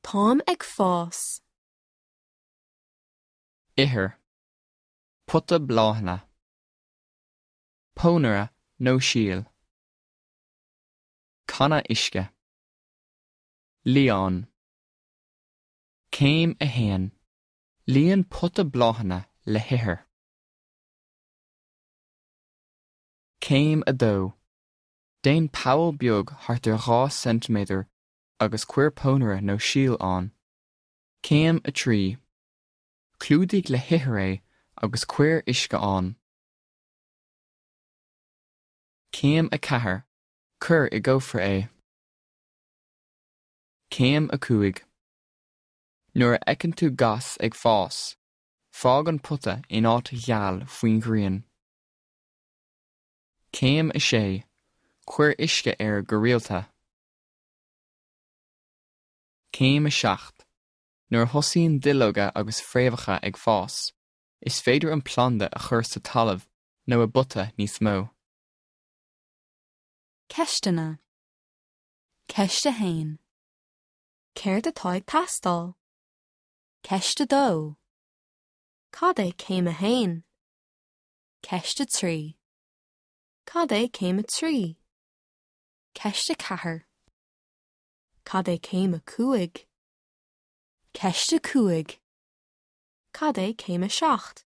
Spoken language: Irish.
Táim ag fás. Ithir. Pota bláthanna. Pónaire nó síol. Canna uisce. Lián. Céim 1. Líon pota bláthanna le hithir. Céim 2. Déan poll beag thart ar 2 ceintiméadar agus cuir pónaire nó síol ann. Céim 3. Clúdaigh le hithir é agus cuir uisce ann. Céim 4. Cuir i gcófra é. Céim 5. Nuair a fheiceann tú gas ag fás, fág an pota in áit gheal faoin ghrian. Céim 6. Cuir uisce air go rialta. Céim 7. Nuair a thosaíonn duilleoga agus fréamhacha ag fás, is féidir an planda a chur sa talamh nó i bpota níos mó. Ceisteanna. Ceist 1. Céard atá ag teastáil? Ceist 2. Cad é céim 1? Ceist 3. Cad é céim 3? Ceist 4. Cad é céim 5? Ceist 5. Cad é céim 7?